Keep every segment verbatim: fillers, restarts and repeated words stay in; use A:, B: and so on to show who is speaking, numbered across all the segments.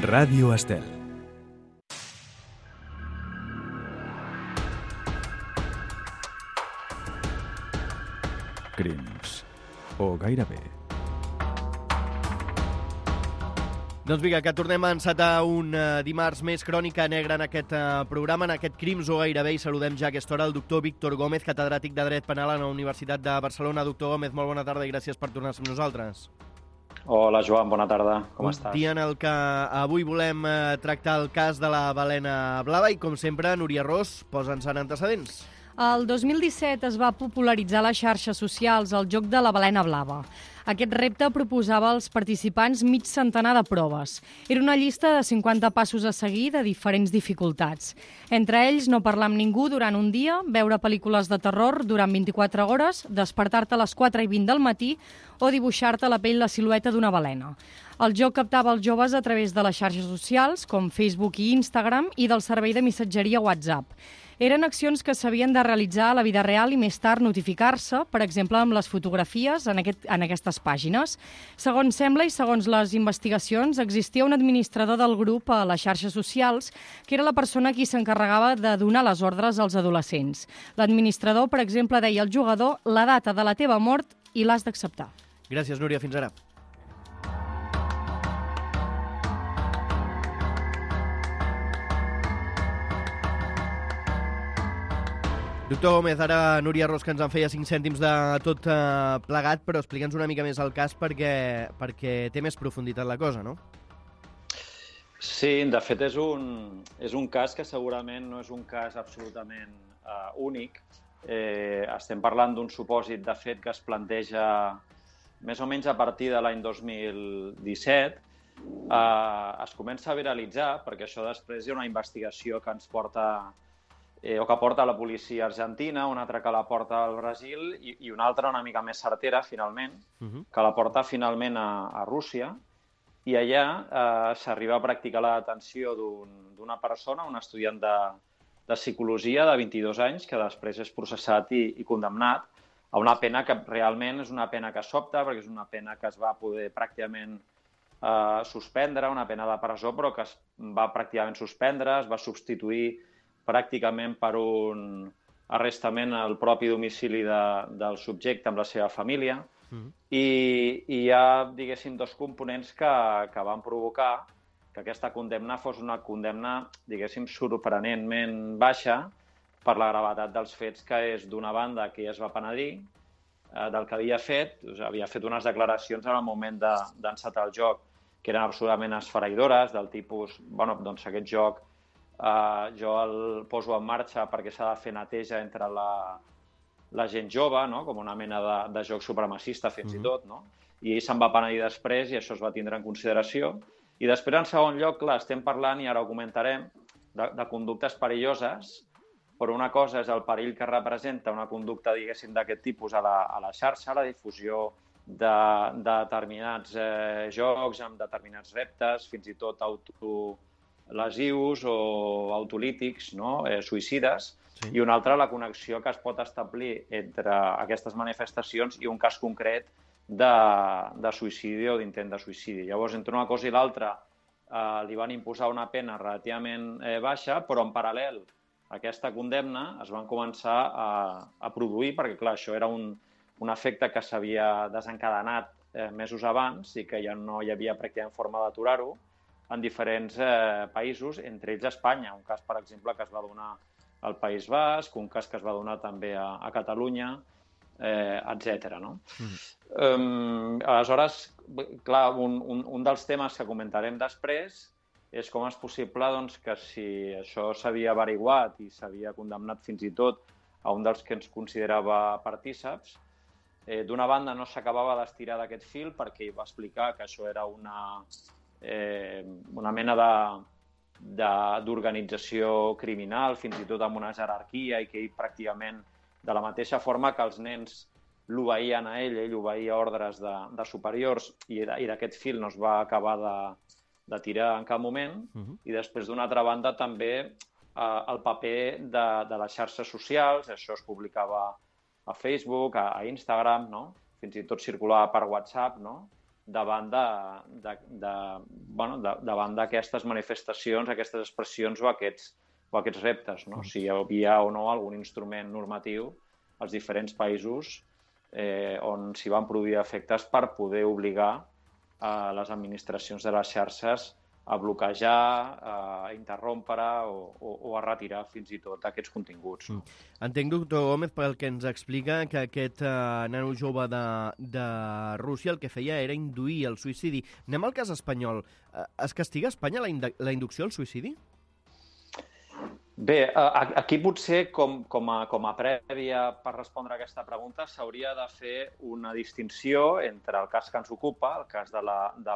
A: Ràdio Estel. Crims. O gairebé.
B: Doncs vinga, que tornem a encetar un uh, dimarts més crònica negra en aquest uh, programa, en aquest Crims o gairebé, i saludem ja a aquesta hora el doctor Víctor Gómez, catedràtic de Dret Penal a la Universitat de Barcelona. Doctor Gómez, molt bona tarda i gràcies per tornar-se amb nosaltres.
C: Hola, Joan, bona tarda. Com
B: un
C: estàs?
B: Un dia en el que avui volem uh, tractar el cas de la balena blava i, com sempre, Núria Ros, posa'ns en antecedents.
D: El dos mil disset es va popularitzar a les xarxes socials el joc de la balena blava. Aquest repte proposava als participants mig centenar de proves. Era una llista de cinquanta passos a seguir de diferents dificultats. Entre ells, no parlar amb ningú durant un dia, veure pel·lícules de terror durant vint-i-quatre hores, despertar-te a les quatre i vint del matí o dibuixar-te a la pell la silueta d'una balena. El joc captava els joves a través de les xarxes socials, com Facebook i Instagram, i del servei de missatgeria WhatsApp. Eren accions que s'havien de realitzar a la vida real i més tard notificar-se, per exemple, amb les fotografies en, aquest, en aquestes pàgines. Segons sembla i segons les investigacions, existia un administrador del grup a les xarxes socials que era la persona qui s'encarregava de donar les ordres als adolescents. L'administrador, per exemple, deia al jugador la data de la teva mort i l'has d'acceptar.
B: Gràcies, Núria. Fins ara. Doctor Gómez, ara Núria Ros, que ens en feia cinc cèntims de tot eh, plegat, però explica'ns una mica més el cas perquè, perquè té més profunditat la cosa, no?
C: Sí, de fet és un, és un cas que segurament no és un cas absolutament uh, únic. Eh, estem parlant d'un supòsit de fet que es planteja més o menys a partir de l'any dos mil disset. Uh, es comença a viralitzar, perquè això després hi ha una investigació que ens porta... Eh, o que porta la policia argentina, una altra que la porta al Brasil i, i una altra una mica més certera, finalment, uh-huh. que la porta finalment a, a Rússia. I allà eh, s'arriba a practicar la detenció d'una un, persona, un estudiant de, de psicologia de vint-i-dos anys, que després és processat i, i condemnat a una pena que realment és una pena que sobta, perquè és una pena que es va poder pràcticament eh, suspendre, una pena de presó, però que es va pràcticament suspendre, es va substituir pràcticament per un arrestament al propi domicili de, del subjecte amb la seva família. Mm-hmm. I, i hi ha, diguéssim, dos components que, que van provocar que aquesta condemna fos una condemna, diguéssim, sorprenentment baixa per la gravetat dels fets, que és, d'una banda, que ja es va penedir eh, del que havia fet, o sigui, havia fet unes declaracions en el moment de, d'encetar el joc que eren absolutament esfereïdores, del tipus, bueno, doncs aquest joc Uh, jo el poso en marxa perquè s'ha de fer neteja entre la, la gent jove, no? Com una mena de, de joc supremacista, fins mm-hmm. i tot, no? I ell se'n va penedir després i això es va tindre en consideració. I després, en segon lloc, clar, estem parlant, i ara ho comentarem, de, de conductes perilloses, però una cosa és el perill que representa una conducta, diguéssim, d'aquest tipus a la, a la xarxa, la difusió de, de determinats eh, jocs, amb determinats reptes, fins i tot auto... lesius o autolítics, no? eh, suïcides, sí. I una altra la connexió que es pot establir entre aquestes manifestacions i un cas concret de, de suïcidi o d'intent de suïcidi. Llavors, entre una cosa i l'altra, eh, li van imposar una pena relativament eh, baixa, però en paral·lel a aquesta condemna es van començar a, a produir, perquè clar, això era un, un efecte que s'havia desencadenat eh, mesos abans i que ja no hi havia pràcticament forma d'aturar-ho, en diferents eh, països, entre ells Espanya. Un cas, per exemple, que es va donar al País Basc, un cas que es va donar també a, a Catalunya, eh, etcètera. No? Mm. Um, aleshores, clar, un, un, un dels temes que comentarem després és com és possible doncs, que si això s'havia averiguat i s'havia condemnat fins i tot a un dels que ens considerava partíceps, eh, d'una banda no s'acabava d'estirar d'aquest fil perquè ell va explicar que això era una... Eh, una mena d'organització criminal, fins i tot amb una jerarquia, i que ell pràcticament, de la mateixa forma que els nens l'obeïen a ell, ell obeïa ordres de, de superiors, i, i d'aquest fil no es va acabar de, de tirar en cap moment. Uh-huh. I després, d'una altra banda, també eh, el paper de, de les xarxes socials, això es publicava a Facebook, a, a Instagram, no? Fins i tot circulava per WhatsApp, no? davant de, de, de, bueno, de, davant d'aquestes manifestacions, aquestes expressions o aquests, o aquests reptes, no? Si hi havia o no algun instrument normatiu als diferents països eh, on s'hi van produir efectes per poder obligar a les administracions de les xarxes a bloquejar, a interrompre o, o, o a retirar fins i tot aquests continguts. No?
B: Entenc, doctor Gómez, pel que ens explica que aquest eh, nano jove de, de Rússia el que feia era induir el suïcidi. Anem al cas espanyol. Eh, es castiga a Espanya la, ind la inducció al suïcidi?
C: Bé, aquí potser, com, com, a, com a prèvia per respondre a aquesta pregunta, s'hauria de fer una distinció entre el cas que ens ocupa, el cas de la, de,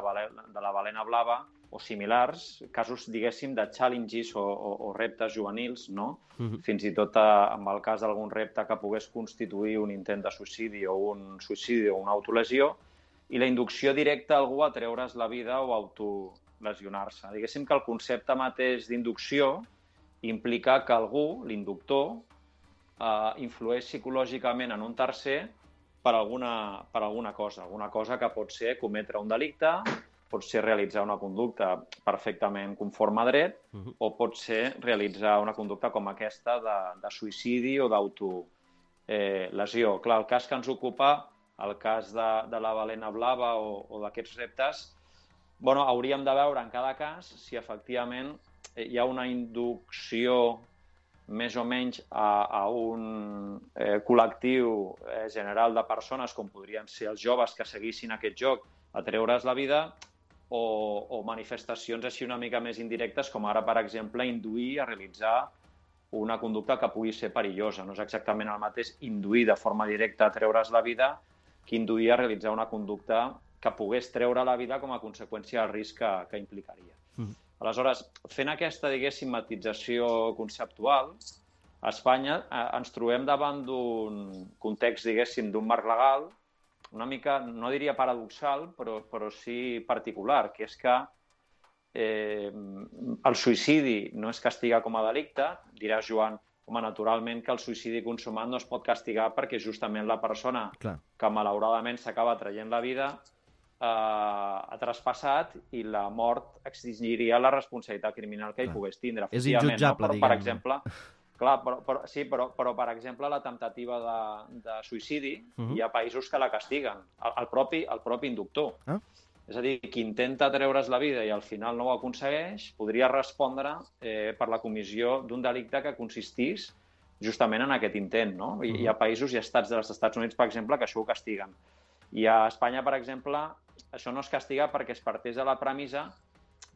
C: de la balena blava, o similars, casos, diguéssim, de challenges o, o, o reptes juvenils, no? Uh-huh. Fins i tot a, amb el cas d'algun repte que pogués constituir un intent de suïcidi o un suïcidi o una autolesió, i la inducció directa a algú a treure's la vida o autolesionar-se. Diguéssim que el concepte mateix d'inducció implica que algú, l'inductor, eh, influeix psicològicament en un tercer per alguna, per alguna cosa. Alguna cosa que pot ser cometre un delicte, pot ser realitzar una conducta perfectament conforme a dret, uh-huh. o pot ser realitzar una conducta com aquesta de, de suïcidi o d'autolesió. Eh, Clar, el cas que ens ocupa, el cas de, de la balena blava o, o d'aquests reptes, bueno, hauríem de veure en cada cas si efectivament hi ha una inducció més o menys a, a un eh, col·lectiu eh, general de persones, com podrien ser els joves que seguissin aquest joc, a treure's la vida, o, o manifestacions així una mica més indirectes, com ara, per exemple, induir a realitzar una conducta que pugui ser perillosa. No és exactament el mateix induir de forma directa a treure's la vida que induir a realitzar una conducta que pogués treure la vida com a conseqüència del risc que, que implicaria. Mm. Aleshores, fent aquesta, diguéssim, matització conceptual, a Espanya eh, ens trobem davant d'un context, diguéssim, d'un marc legal una mica, no diria paradoxal, però, però sí particular, que és que eh, el suïcidi no es castiga com a delicte. Diràs, Joan, home, naturalment que el suïcidi consumat no es pot castigar perquè justament la persona
B: Clar.
C: que malauradament s'acaba traient la vida eh, ha traspassat i la mort extingiria la responsabilitat criminal que Clar. hi pogués tindre.
B: És injutjable,
C: no? Però,
B: diguem.
C: per exemple, clar, però, però, sí, però, però, per exemple, la temptativa de, de suïcidi, uh-huh. hi ha països que la castiguen, el, el, propi, el propi inductor. Ah. És a dir, qui intenta treure's la vida i al final no ho aconsegueix, podria respondre eh, per la comissió d'un delicte que consistís justament en aquest intent, no? I, uh-huh. Hi ha països i estats dels Estats Units, per exemple, que això ho castiguen. I a Espanya, per exemple, això no es castiga perquè es parteix de la premissa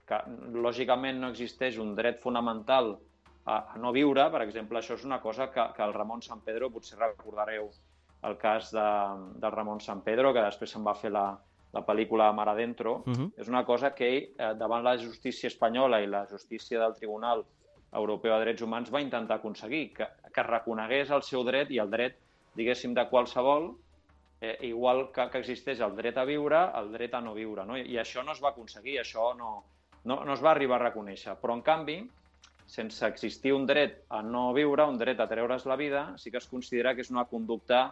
C: que, lògicament, no existeix un dret fonamental a no viure. Per exemple, això és una cosa que, que el Ramon Sampedro, potser recordareu el cas de, del Ramon Sampedro, que després se'n va fer la, la pel·lícula Mar Adentro. Uh-huh. És una cosa que ell, eh, davant la justícia espanyola i la justícia del Tribunal Europeu de Drets Humans, va intentar aconseguir que, que reconegués el seu dret i el dret, diguéssim, de qualsevol, eh, igual que, que existeix el dret a viure, el dret a no viure, no? I, i això no es va aconseguir, això no, no, no es va arribar a reconèixer. Però, en canvi, sense existir un dret a no viure, un dret a treure's la vida, sí que es considera que és una conducta,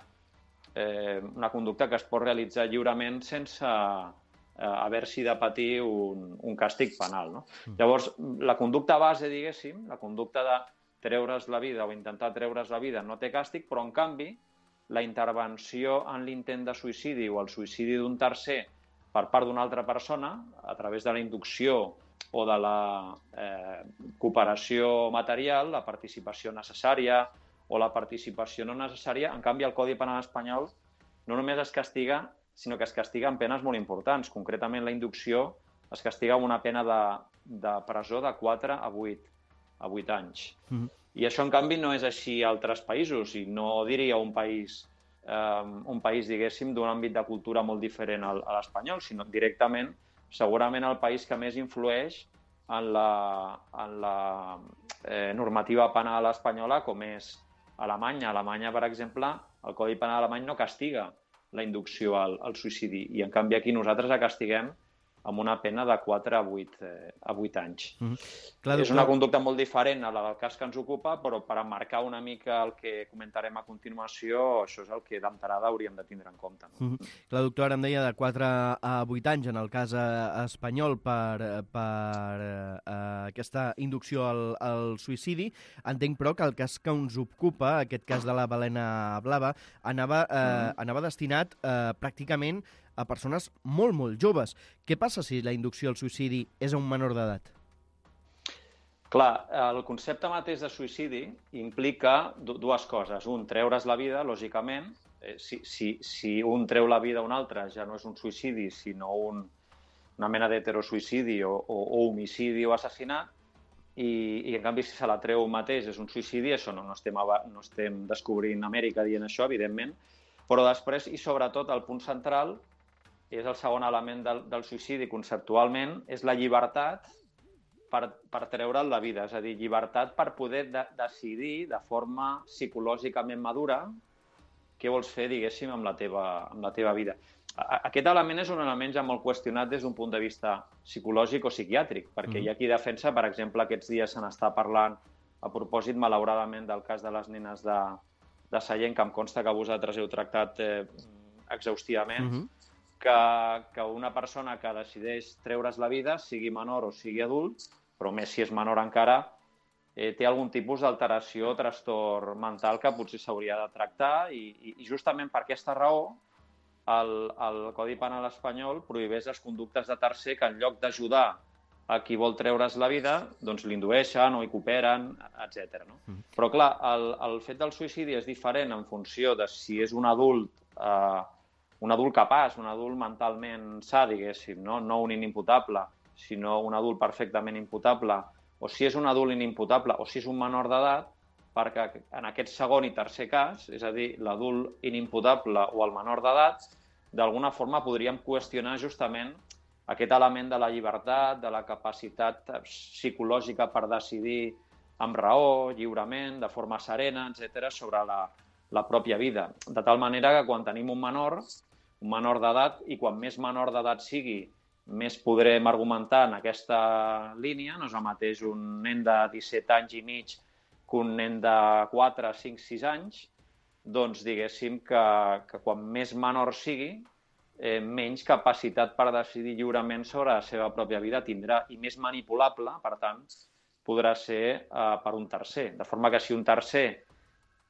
C: eh, una conducta que es pot realitzar lliurement sense eh, haver-s'hi de patir un, un càstig penal. No? Mm. Llavors, la conducta base, diguéssim, la conducta de treure's la vida o intentar treure's la vida no té càstig, però, en canvi, la intervenció en l'intent de suïcidi o el suïcidi d'un tercer per part d'una altra persona, a través de la inducció o de la eh, cooperació material, la participació necessària o la participació no necessària, en canvi el Codi Penal espanyol no només es castiga, sinó que es castiga amb penes molt importants. Concretament la inducció es castiga amb una pena de, de presó de quatre a vuit anys. Mm-hmm. I això, en canvi, no és així a altres països, i no diria un país, eh, un país diguéssim, d'un àmbit de cultura molt diferent al, a l'espanyol, sinó directament segurament el país que més influeix en la, en la eh, normativa penal espanyola, com és Alemanya. A Alemanya, per exemple, el Codi Penal alemany no castiga la inducció al, al suïcidi, i en canvi aquí nosaltres la castiguem amb una pena de quatre a vuit, eh, a vuit anys.
B: Mm-hmm. Clar,
C: és
B: doctor...
C: una conducta molt diferent a la del cas que ens ocupa, però per emmarcar una mica el que comentarem a continuació, això és el que d'entrada hauríem de tindre en compte. No?
B: Mm-hmm. Clar, doctor, ara em deia de quatre a vuit anys en el cas eh, espanyol per, per eh, aquesta inducció al, al suïcidi. Entenc, però, que el cas que ens ocupa, aquest cas de la balena blava, anava, eh, mm. anava destinat eh, pràcticament a persones molt, molt joves. Què passa si la inducció al suïcidi és a un menor d'edat?
C: Clar, el concepte mateix de suïcidi implica dues coses. Un, treure's la vida, lògicament. Eh, si, si, si un treu la vida a un altre ja no és un suïcidi, sinó un, una mena d'heterosuïcidi o, o, o homicidi o assassinat, i, i en canvi si se la treu mateix és un suïcidi, això no, no, estem, no estem descobrint Amèrica dient això, evidentment, però després, i sobretot, el punt central és el segon element del, del suïcidi conceptualment, és la llibertat per, per treure'l la vida. És a dir, llibertat per poder de, decidir de forma psicològicament madura què vols fer, diguéssim, amb la teva, amb la teva vida. A, aquest element és un element ja molt qüestionat des d'un punt de vista psicològic o psiquiàtric, perquè mm. hi ha qui defensa, per exemple, aquests dies se n'està parlant a propòsit, malauradament, del cas de les nenes de, de Sallent, que em consta que vosaltres heu tractat eh, exhaustivament, mm-hmm. Que, que una persona que decideix treure's la vida, sigui menor o sigui adult, però més si és menor encara, eh, té algun tipus d'alteració o trastorn mental que potser s'hauria de tractar i, i justament per aquesta raó el, el Codi Penal espanyol prohibeix les conductes de tercer que en lloc d'ajudar a qui vol treure's la vida, doncs l'indueixen o hi cooperen, etcètera. No? Mm. Però clar, el, el fet del suïcidi és diferent en funció de si és un adult eh, un adult capaç, un adult mentalment sa, diguéssim, no? No un inimputable, sinó un adult perfectament imputable, o si és un adult inimputable, o si és un menor d'edat, perquè en aquest segon i tercer cas, és a dir, l'adult inimputable o el menor d'edat, d'alguna forma podríem qüestionar justament aquest element de la llibertat, de la capacitat psicològica per decidir amb raó, lliurement, de forma serena, etcètera, sobre la, la pròpia vida. De tal manera que quan tenim un menor, un menor d'edat, i quan més menor d'edat sigui, més podrem argumentar en aquesta línia. No és el mateix un nen de disset anys i mig que un nen de quatre, cinc, sis anys, doncs diguéssim que, que quan més menor sigui, eh, menys capacitat per decidir lliurement sobre la seva pròpia vida tindrà, i més manipulable, per tant, podrà ser eh, per un tercer. De forma que si un tercer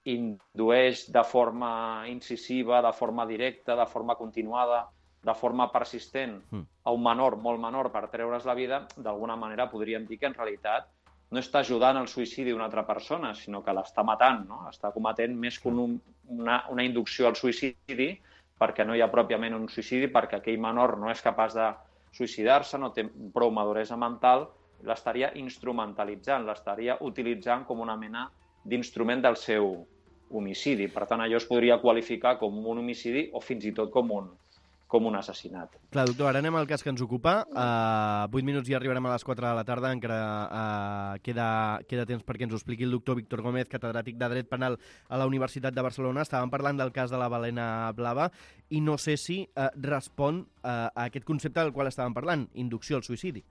C: indueix de forma incisiva, de forma directa, de forma continuada, de forma persistent a un menor, molt menor, per treure's la vida, d'alguna manera podríem dir que en realitat no està ajudant al suïcidi d'una altra persona, sinó que l'està matant, no? Està cometent més que un, una, una inducció al suïcidi, perquè no hi ha pròpiament un suïcidi, perquè aquell menor no és capaç de suïcidar-se, no té prou maduresa mental, l'estaria instrumentalitzant, l'estaria utilitzant com una mena d'instrument del seu homicidi. Per tant, allò es podria qualificar com un homicidi o fins i tot com un, com un assassinat.
B: Clar, doctor, ara anem al cas que ens ocupa. Uh, vuit minuts i arribarem a les quatre de la tarda. Encara uh, queda, queda temps perquè ens ho expliqui el doctor Víctor Gómez, catedràtic de Dret Penal a la Universitat de Barcelona. Estàvem parlant del cas de la balena blava i no sé si uh, respon uh, a aquest concepte del qual estàvem parlant, inducció al suïcidi.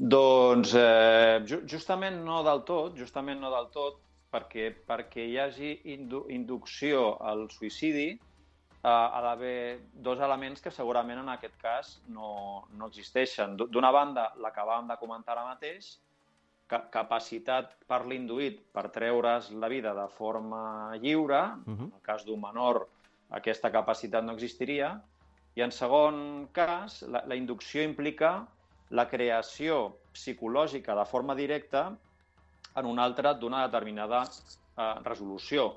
C: Doncs eh, justament no del tot, justament no del tot, perquè, perquè hi hagi indu inducció al suïcidi eh, ha d'haver dos elements que segurament en aquest cas no, no existeixen. D'una banda, l'acabàvem de comentar ara mateix, ca capacitat per l'induït per treure's la vida de forma lliure, uh-huh. En el cas d'un menor aquesta capacitat no existiria, i en segon cas, la, la inducció implica la creació psicològica de forma directa en un altre d'una determinada eh, resolució.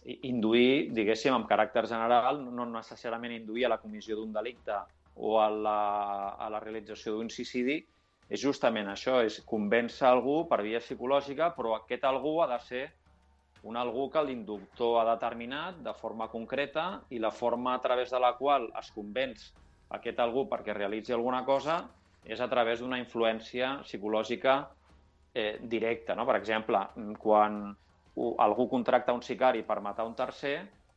C: I, induir, diguéssim, amb caràcter general, no necessàriament induir a la comissió d'un delicte o a la, a la realització d'un suïcidi, és justament això, és convèncer algú per via psicològica, però aquest algú ha de ser un algú que l'inductor ha determinat de forma concreta i la forma a través de la qual es convenç aquest algú perquè realitzi alguna cosa és a través d'una influència psicològica eh, directa. No? Per exemple, quan algú contracta un sicari per matar un tercer,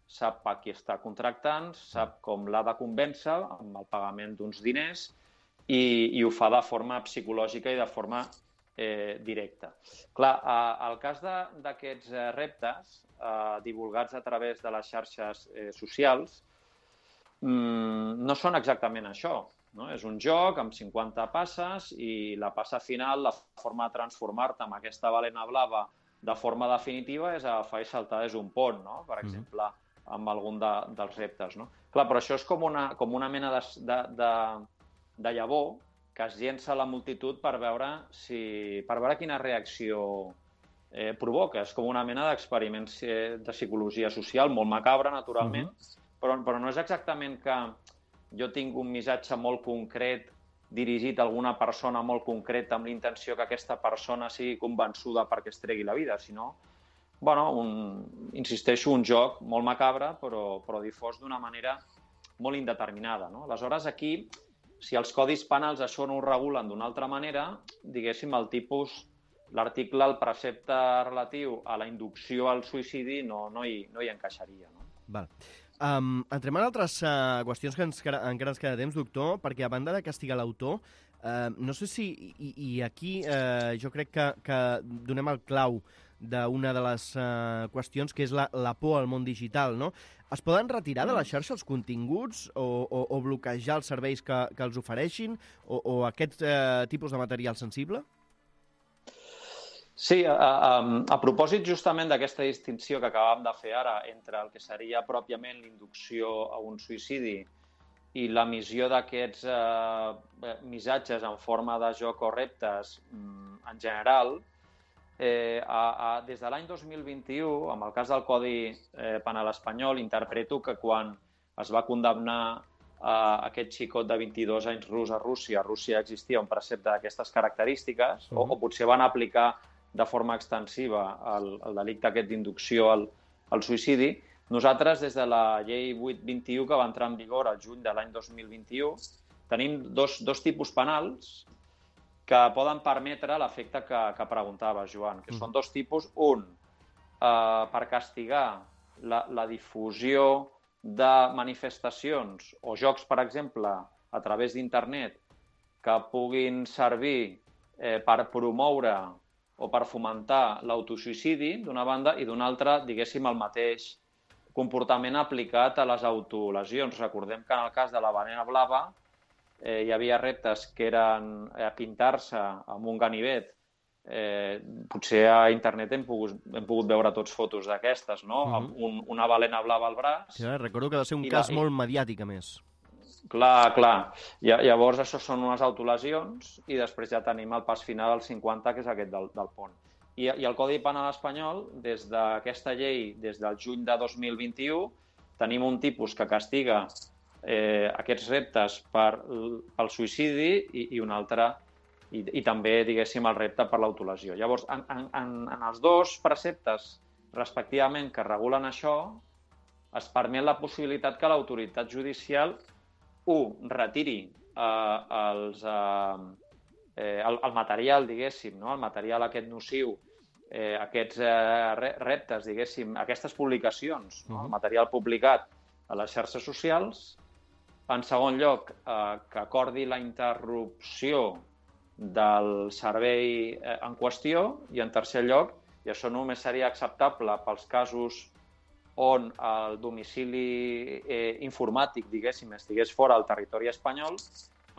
C: sap a qui està contractant, sap com l'ha de convèncer amb el pagament d'uns diners i, i ho fa de forma psicològica i de forma eh, directa. Clar, eh, el cas d'aquests eh, reptes eh, divulgats a través de les xarxes eh, socials mm, no són exactament això. No? És un joc amb cinquanta passes i la passa final, la forma de transformar-te amb aquesta balena blava de forma definitiva és agafar i saltar des d'un pont, no? Per exemple, amb algun de, dels reptes. No? Clar, però això és com una, com una mena de, de, de, de llavor que es llença a la multitud per veure, si, per veure quina reacció eh, provoca. És com una mena d'experiment de psicologia social, molt macabre, naturalment, uh-huh. però, però no és exactament que jo tinc un missatge molt concret dirigit a alguna persona molt concreta amb l'intenció que aquesta persona sigui convençuda perquè es tregui la vida, sinó, bueno, un, insisteixo, un joc molt macabre, però, però difós d'una manera molt indeterminada. No? Aleshores, aquí, si els codis penals això no ho regulen d'una altra manera, diguéssim, el tipus, l'article, el precepte relatiu a la inducció al suïcidi no, no, hi, no hi encaixaria. No?
B: Val. Um, entrem en altres uh, qüestions que ens, encara ens queda temps, doctor, perquè a banda de castigar l'autor, uh, no sé si, i, i aquí uh, jo crec que, que donem el clau d'una de les uh, qüestions, que és la, la por al món digital, no? Es poden retirar de la xarxa els continguts o, o, o bloquejar els serveis que, que els ofereixin o, o aquest uh, tipus de material sensible?
C: Sí, a, a, a propòsit justament d'aquesta distinció que acabàvem de fer ara entre el que seria pròpiament l'inducció a un suïcidi i l'emissió d'aquests eh, missatges en forma de joc o reptes en general, eh, a, a, des de l'any dos mil vint-i-u, amb el cas del Codi eh, Penal espanyol, interpreto que quan es va condemnar eh, aquest xicot de vint-i-dos anys rus a Rússia, a Rússia existia un precepte d'aquestes característiques, uh-huh. o, o potser van aplicar de forma extensiva el, el delicte aquest d'inducció al, al suïcidi. Nosaltres, des de la llei vuit vint-i-u, que va entrar en vigor al juny de l'any dos mil vint-i-u, tenim dos, dos tipus penals que poden permetre l'efecte que, que preguntava, Joan, que mm. són dos tipus. Un, eh, per castigar la, la difusió de manifestacions o jocs, per exemple, a través d'internet, que puguin servir eh, per promoure o per fomentar l'autosuïcidi, d'una banda, i d'una altra, diguéssim, el mateix comportament aplicat a les autolesions. Recordem que en el cas de la balena blava eh, hi havia reptes que eren eh, pintar-se amb un ganivet. Eh, potser a internet hem pogut, hem pogut veure tots fotos d'aquestes, no? Uh-huh. Amb un, una balena blava al braç.
B: Sí, recordo que va ser un cas la... molt mediàtic, a més.
C: Clar, clar. Llavors, això són unes autolesions i després ja tenim el pas final al cinquanta, que és aquest del, del pont. I, I el Codi Penal espanyol, des d'aquesta llei, des del juny de dos mil vint-i-u, tenim un tipus que castiga eh, aquests reptes per, pel suïcidi i, i un altre, i, i també, diguéssim, el repte per l'autolesió. Llavors, en, en, en els dos preceptes, respectivament, que regulen això, es permet la possibilitat que l'autoritat judicial un, retiri eh, els, eh, el, el material, diguéssim, no? El material aquest nociu, eh, aquests eh, reptes, diguéssim, aquestes publicacions, no? El material publicat a les xarxes socials. En segon lloc, eh, que acordi la interrupció del servei eh, en qüestió. I en tercer lloc, i això només seria acceptable pels casos on el domicili eh, informàtic, diguéssim, estigués fora del territori espanyol,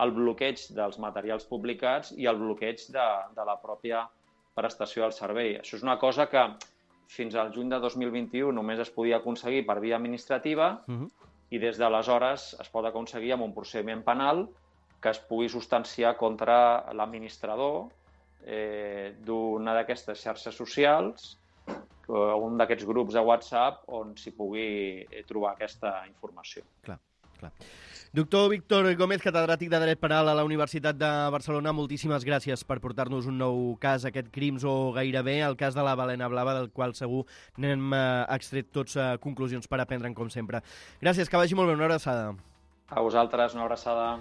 C: el bloqueig dels materials publicats i el bloqueig de, de la pròpia prestació del servei. Això és una cosa que fins al juny de dos mil vint-i-u només es podia aconseguir per via administrativa uh-huh. i des d'aleshores es pot aconseguir amb un procediment penal que es pugui substanciar contra l'administrador eh, d'una d'aquestes xarxes socials, un d'aquests grups de WhatsApp on s'hi pugui trobar aquesta informació.
B: Clar, clar. Doctor Víctor Gómez, catedràtic de Dret Penal a la Universitat de Barcelona, moltíssimes gràcies per portar-nos un nou cas, aquest Crims o gairebé, el cas de la balena blava, del qual segur n'hem extret tots conclusions per aprendre'n, com sempre. Gràcies, que vagi molt bé, una abraçada.
C: A vosaltres, una abraçada.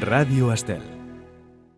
A: Ràdio Estel.